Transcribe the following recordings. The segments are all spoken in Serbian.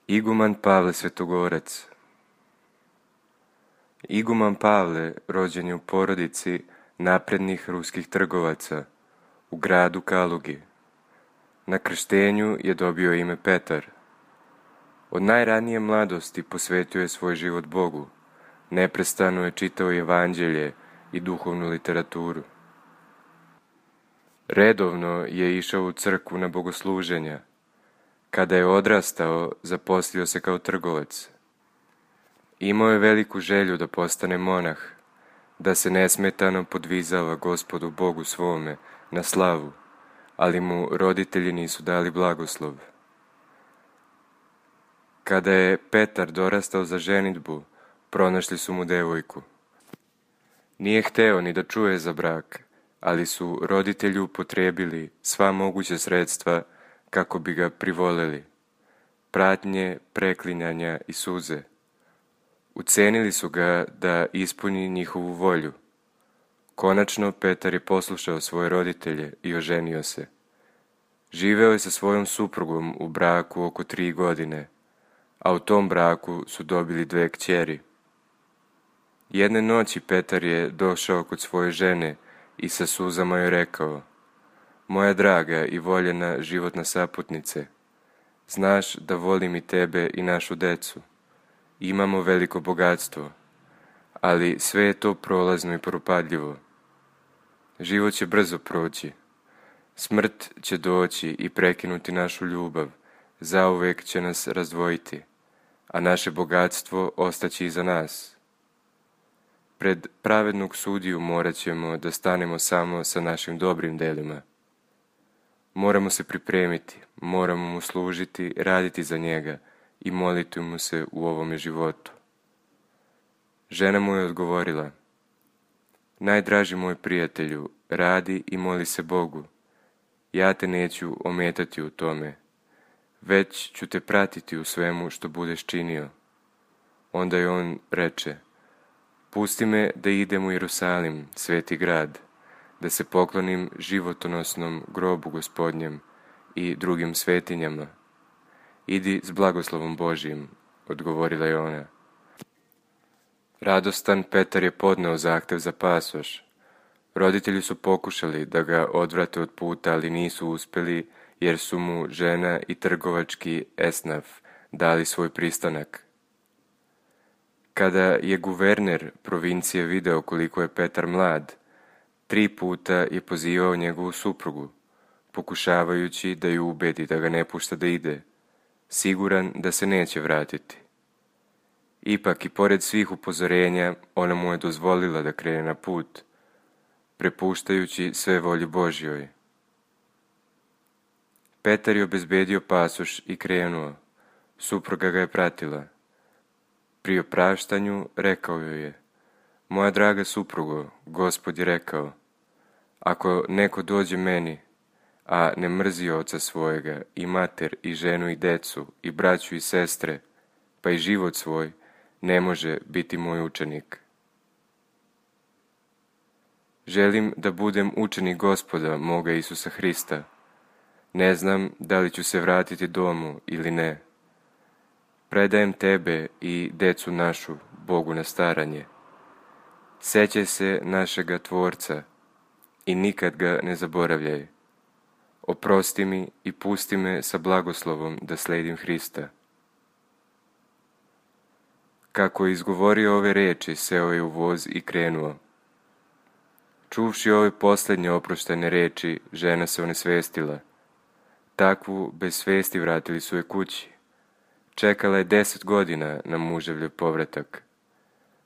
Iguman Pavle Svetogorac. Iguman Pavle rođen je u porodici naprednih ruskih trgovaca u gradu Kalugi. Na krštenju je dobio ime Petar. Od najranije mladosti posvetio je svoj život Bogu. Neprestano je čitao evanđelje i duhovnu literaturu. Redovno je išao u crkvu na bogosluženja. Kada je odrastao, zaposlio se kao trgovac. Imao je veliku želju da postane monah, da se nesmetano podvizava Gospodu Bogu svome na slavu, ali mu roditelji nisu dali blagoslov. Kada je Petar dorastao za ženidbu, pronašli su mu devojku. Nije hteo ni da čuje za brak, ali su roditelji upotrijebili sva moguća sredstva kako bi ga privoleli. Pratnje, preklinjanja i suze. Ucenili su ga da ispuni njihovu volju. Konačno Petar je poslušao svoje roditelje i oženio se. Živeo je sa svojom suprugom u braku oko 3 godine, a u tom braku su dobili 2 kćeri. Jedne noći Petar je došao kod svoje žene i sa suzama joj rekao: Moja draga i voljena životna saputnice, znaš da volim i tebe i našu decu. Imamo veliko bogatstvo, ali sve je to prolazno i propadljivo. Život će brzo proći. Smrt će doći i prekinuti našu ljubav, zauvek će nas razdvojiti, a naše bogatstvo ostaće iza nas. Pred pravednog sudiju morat ćemo da stanemo samo sa našim dobrim delima. Moramo se pripremiti, moramo mu služiti, raditi za njega i moliti mu se u ovome životu. Žena mu je odgovorila: Najdraži moj prijatelju, radi i moli se Bogu. Ja te neću ometati u tome, već ću te pratiti u svemu što budeš činio. Onda je on reče: Pusti me da idem u Jerusalim, sveti grad, da se poklonim životonosnom grobu Gospodnjem i drugim svetinjama. Idi s blagoslovom Božijim, odgovorila je ona. Radostan Petar je podneo zahtev za pasoš. Roditelji su pokušali da ga odvrate od puta, ali nisu uspjeli, jer su mu žena i trgovački esnaf dali svoj pristanak. Kada je guverner provincije video koliko je Petar mlad, 3 puta je pozivao njegovu suprugu, pokušavajući da ju ubedi da ga ne pušta da ide, siguran da se neće vratiti. Ipak i pored svih upozorenja, ona mu je dozvolila da krene na put, prepuštajući sve volji Božjoj. Petar je obezbedio pasoš i krenuo. Supruga ga je pratila. Pri opraštanju rekao joj je: Moja draga suprugo, Gospod je rekao: Ako neko dođe meni, a ne mrzi oca svojega, i mater, i ženu, i decu, i braću, i sestre, pa i život svoj, ne može biti moj učenik. Želim da budem učenik Gospoda, moga Isusa Hrista. Ne znam da li ću se vratiti domu ili ne. Predajem tebe i decu našu Bogu na staranje. Sećaj se našega Tvorca i nikad ga ne zaboravljaj. Oprosti mi i pusti me sa blagoslovom da sledim Hrista. Kako je izgovorio ove reči, seo je u voz i krenuo. Čuvši ove posljednje oproštajne reči, žena se onesvestila. Takvu bez svesti vratili su je kući. Čekala je 10 godina na muževljev povratak,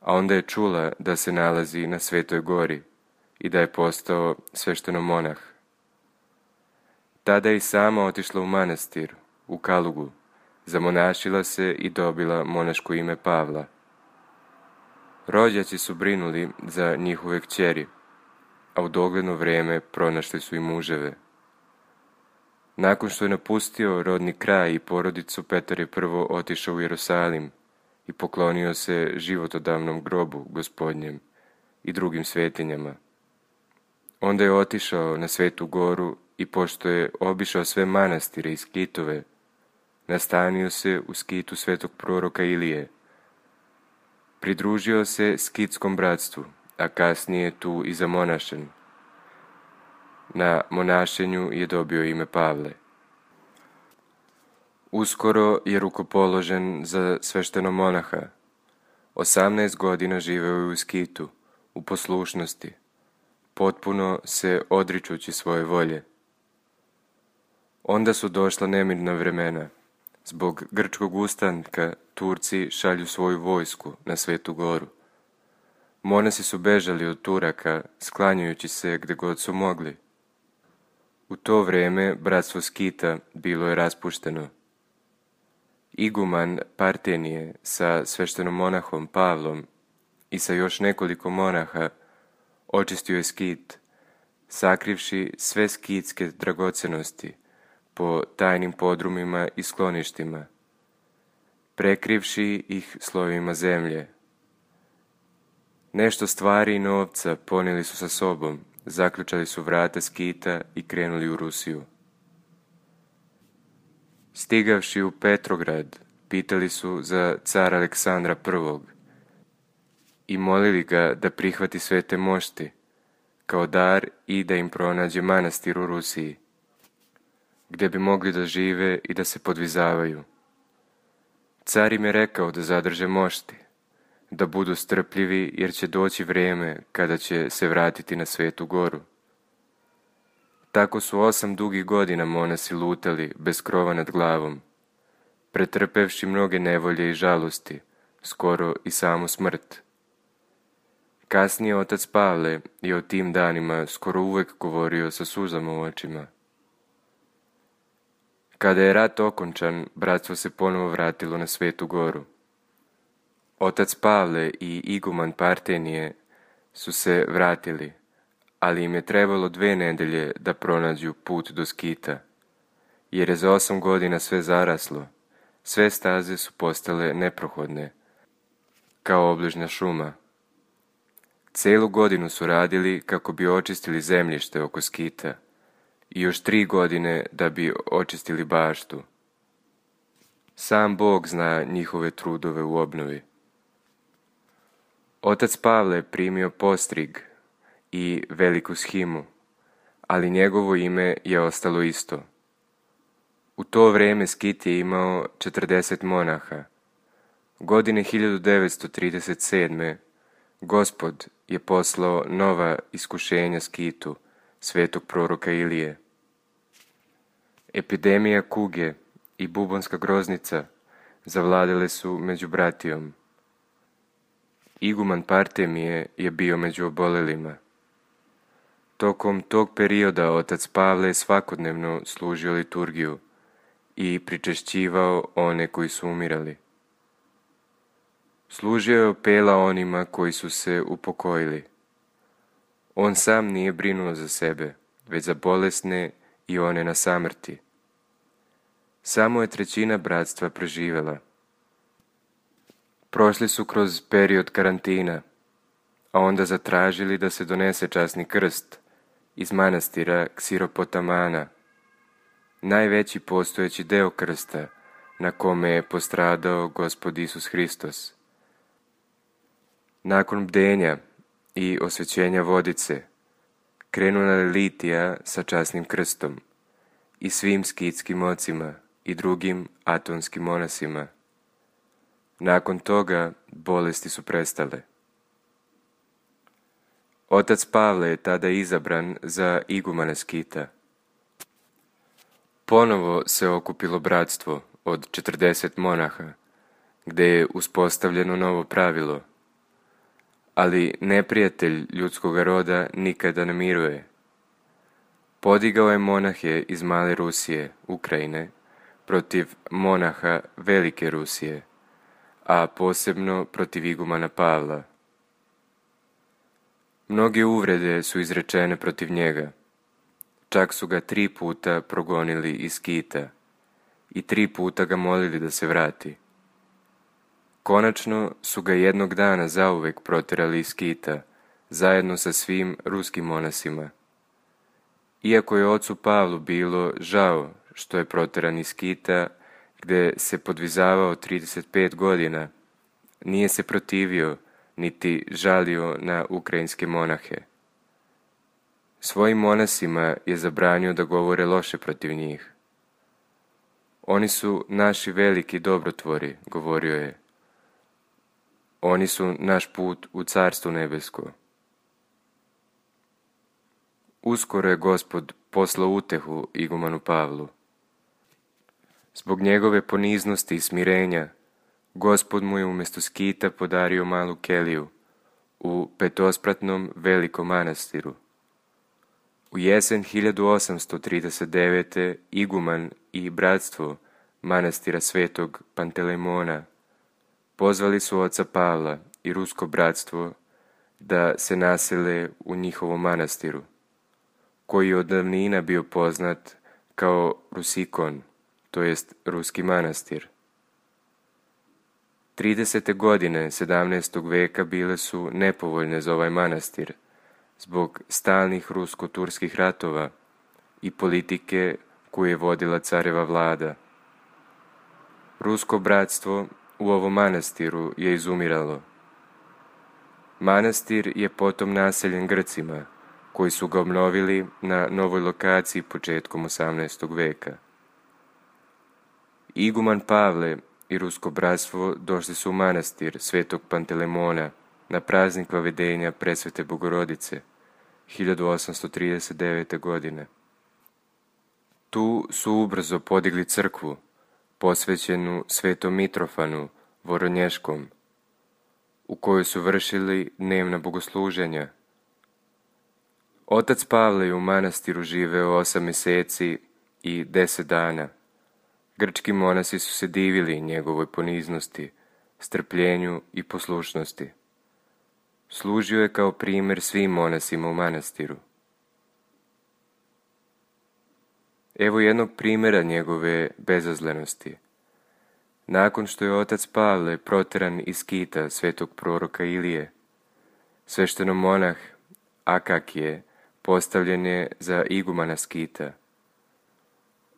a onda je čula da se nalazi na Svetoj gori i da je postao sveštenomonah. Tada je i sama otišla u manastir, u Kalugu, zamonašila se i dobila monaško ime Pavla. Rođaci su brinuli za njihove kćeri, a u dogledno vrijeme pronašli su i muževe. Nakon što je napustio rodni kraj i porodicu, Petar je prvo otišao u Jerusalim i poklonio se životodavnom grobu Gospodnjem i drugim svetinjama. Onda je otišao na Svetu goru i pošto je obišao sve manastire i skitove, nastanio se u skitu svetog proroka Ilije. Pridružio se skitskom bratstvu, a kasnije tu i zamonašen. Na monašenju je dobio ime Pavle. Uskoro je rukopoložen za sveštenomonaha. 18 godina živeo je u skitu, u poslušnosti, potpuno se odričući svoje volje. Onda su došla nemirna vremena. Zbog grčkog ustanka Turci šalju svoju vojsku na Svetu Goru. Monasi su bežali od Turaka, sklanjajući se gde god su mogli. U to vrijeme bratstvo skita bilo je raspušteno. Iguman Partenije sa sveštenomonahom Pavlom i sa još nekoliko monaha očistio je skit, sakrivši sve skitske dragocenosti po tajnim podrumima i skloništima, prekrivši ih slojevima zemlje. Nešto stvari i novca ponijeli su sa sobom, zaključali su vrata skita i krenuli u Rusiju. Stigavši u Petrograd, pitali su za cara Aleksandra I. i molili ga da prihvati svete mošti, kao dar i da im pronađe manastir u Rusiji, gdje bi mogli da žive i da se podvizavaju. Car im je rekao da zadrže mošti, da budu strpljivi jer će doći vrijeme kada će se vratiti na Svetu Goru. Tako su 8 dugih godina monasi lutali bez krova nad glavom, pretrpevši mnoge nevolje i žalosti, skoro i samu smrt. Kasnije otac Pavle je o tim danima skoro uvek govorio sa suzama u očima. Kada je rat okončan, bratstvo se ponovo vratilo na Svetu Goru. Otac Pavle i iguman Partenije su se vratili, ali im je trebalo 2 nedelje da pronađu put do skita, jer je za 8 godina sve zaraslo, sve staze su postale neprohodne, kao obližnja šuma. Celu godinu su radili kako bi očistili zemljište oko skita i još 3 godine da bi očistili baštu. Sam Bog zna njihove trudove u obnovi. Otac Pavle je primio postrig i veliku shimu, ali njegovo ime je ostalo isto. U to vrijeme skit je imao 40 monaha. Godine 1937. Gospod je poslao nova iskušenja skitu, svetog proroka Ilije. Epidemija kuge i bubonska groznica zavladale su među bratijom. Iguman Partemije je bio među obolelima. Tokom tog perioda otac Pavle je svakodnevno služio liturgiju i pričešćivao one koji su umirali. Služio je opela onima koji su se upokojili. On sam nije brinuo za sebe, već za bolesne i one na samrti. Samo je 1/3 bratstva preživjela. Prošli su kroz period karantina, a onda zatražili da se donese časni krst iz manastira Ksiropotamana, najveći postojeći deo krsta na kome je postradao Gospod Isus Hristos. Nakon bdenja i osvećenja vodice, krenula je litija sa časnim krstom i svim skitskim ocima i drugim atonskim monasima. Nakon toga bolesti su prestale. Otac Pavle je tada izabran za igumana skita. Ponovo se okupilo bratstvo od 40 monaha, gde je uspostavljeno novo pravilo. Ali neprijatelj ljudskog roda nikada ne miruje. Podigao je monahe iz Male Rusije, Ukrajine, protiv monaha Velike Rusije, a posebno protiv igumana Pavla. Mnoge uvrede su izrečene protiv njega. Čak su ga 3 puta progonili iz skita i 3 puta ga molili da se vrati. Konačno su ga jednog dana zauvek proterali iz skita, zajedno sa svim ruskim monasima. Iako je ocu Pavlu bilo žao što je proteran iz skita, gdje se podvizavao 35 godina, nije se protivio niti žalio na ukrajinske monahe. Svojim monasima je zabranio da govore loše protiv njih. Oni su naši veliki dobrotvori, govorio je. Oni su naš put u Carstvo nebesko. Uskoro je Gospod poslao utehu igumanu Pavlu. Zbog njegove poniznosti i smirenja, Gospod mu je umjesto skita podario malu keliju u petospratnom velikom manastiru. U jesen 1839. iguman i bratstvo manastira Svetog Pantelemona pozvali su oca Pavla i rusko bratstvo da se nasele u njihovom manastiru, koji je od davnina bio poznat kao Rusikon, to jest ruski manastir. 30. godine 17. veka bile su nepovoljne za ovaj manastir zbog stalnih rusko-turskih ratova i politike koju je vodila careva vlada. Rusko bratstvo u ovom manastiru je izumiralo. Manastir je potom naseljen Grcima, koji su ga obnovili na novoj lokaciji početkom 18. veka. Iguman Pavle i rusko bratstvo došli su u manastir Svetog Pantelemona na praznik Vavedenja Presvete Bogorodice 1839. godine. Tu su ubrzo podigli crkvu posvećenu Svetom Mitrofanu Voronješkom, u kojoj su vršili dnevna bogosluženja. Otac Pavle je u manastiru živeo 8 mjeseci i 10 dana. Grčki monasi su se divili njegovoj poniznosti, strpljenju i poslušnosti. Služio je kao primjer svim monasima u manastiru. Evo jednog primjera njegove bezazlenosti. Nakon što je otac Pavle proteran iz skita svetog proroka Ilije, sveštenomonah Akakije postavljen je za igumana skita.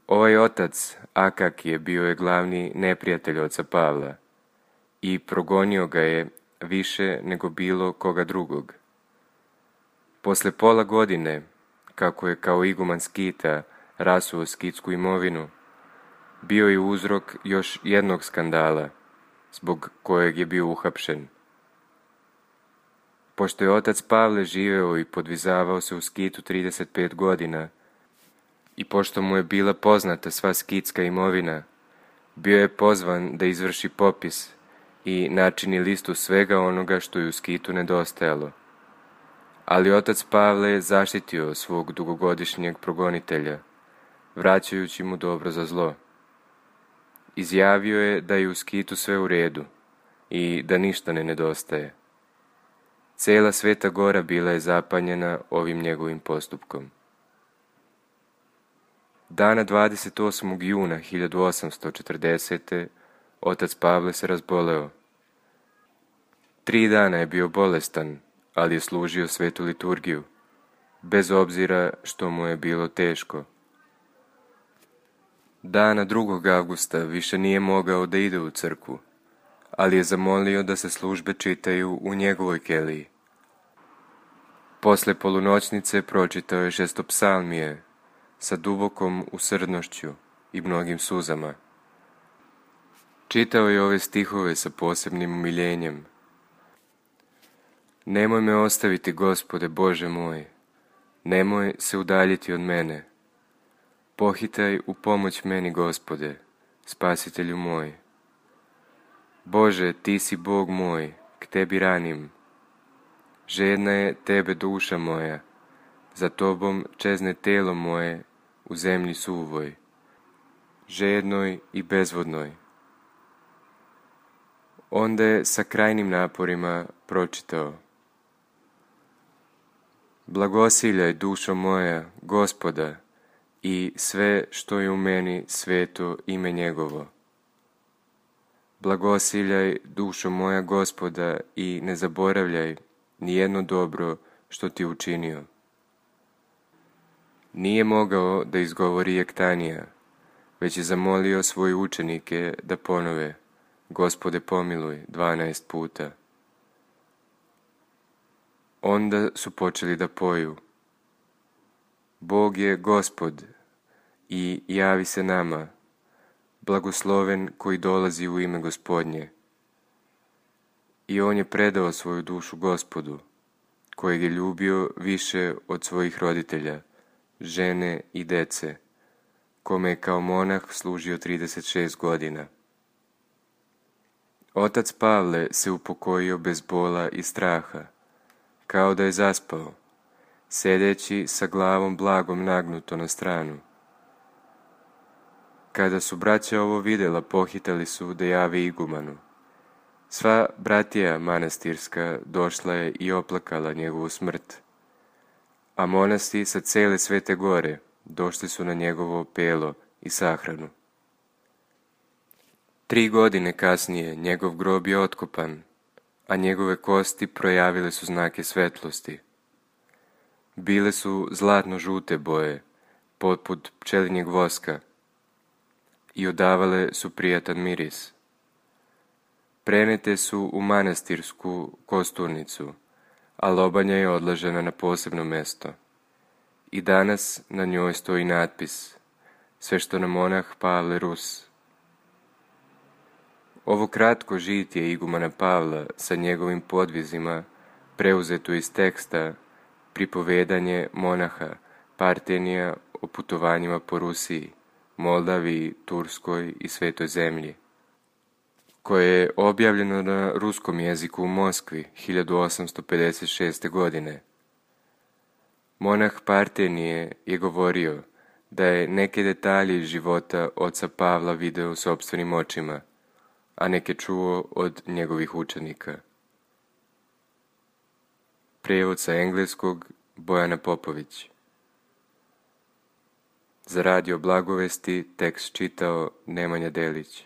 Ovaj otac Akakije bio je glavni neprijatelj oca Pavla i progonio ga je više nego bilo koga drugog. Posle pola godine, kako je kao iguman skita rasuo skitsku imovinu, bio je uzrok još jednog skandala, zbog kojeg je bio uhapšen. Pošto je otac Pavle živeo i podvizavao se u skitu 35 godina, i pošto mu je bila poznata sva skitska imovina, bio je pozvan da izvrši popis i načini listu svega onoga što je u skitu nedostajalo. Ali otac Pavle je zaštitio svog dugogodišnjeg progonitelja, vraćajući mu dobro za zlo. Izjavio je da je u skitu sve u redu i da ništa ne nedostaje. Cela Sveta Gora bila je zapanjena ovim njegovim postupkom. Dana 28. juna 1840. otac Pavle se razboleo. 3 dana je bio bolestan, ali je služio svetu liturgiju, bez obzira što mu je bilo teško. Dana 2. avgusta više nije mogao da ide u crkvu, ali je zamolio da se službe čitaju u njegovoj keliji. Posle polunoćnice pročitao je 6. psalmije sa dubokom usrdnošću i mnogim suzama. Čitao je ove stihove sa posebnim umiljenjem. Nemoj me ostaviti, Gospode Bože moj, nemoj se udaljiti od mene. Pohitaj u pomoć meni, Gospode, Spasitelju moj. Bože, ti si Bog moj, k tebi ranim. Žedna je tebe duša moja, za tobom čezne telo moje u zemlji suvoj, žednoj i bezvodnoj. Onda je sa krajnim naporima pročitao. Blagosiljaj, dušo moja, Gospoda, i sve što je u meni sveto ime njegovo. Blagosiljaj, dušo moja, Gospoda, i ne zaboravljaj nijedno dobro što ti učinio. Nije mogao da izgovori jektanija, već je zamolio svoje učenike da ponove Gospode pomiluj 12 puta. Onda su počeli da poju: Bog je Gospod i javi se nama, blagosloven koji dolazi u ime Gospodnje. I on je predao svoju dušu Gospodu, kojeg je ljubio više od svojih roditelja, žene i dece, kome je kao monah služio 36 godina. Otac Pavle se upokojio bez bola i straha, kao da je zaspao, sedeći sa glavom blagom nagnuto na stranu. Kada su braća ovo vidjela, pohitali su da jave igumanu. Sva bratija manastirska došla je i oplakala njegovu smrt, a monasi sa cele Svete Gore došli su na njegovo pelo i sahranu. 3 godine kasnije njegov grob je otkopan, a njegove kosti projavile su znake svetlosti. Bile su zlatno-žute boje, poput pčelinjeg voska, i odavale su prijatan miris. Prenete su u manastirsku kosturnicu, a lobanja je odložena na posebno mesto. I danas na njoj stoji natpis: Sveštomonah Pavle Rus. Ovo kratko žitije igumana Pavla sa njegovim podvizima preuzeto iz teksta Pripovedanje monaha Partenija o putovanjima po Rusiji, Moldaviji, Turskoj i Svetoj zemlji, koje je objavljeno na ruskom jeziku u Moskvi 1856. godine. Monah Partenije je govorio da je neke detalje iz života oca Pavla video sopstvenim očima, a neke čuo od njegovih učenika. Prijevod sa engleskog Bojana Popović. Za Radio Blagovesti tekst čitao Nemanja Delić.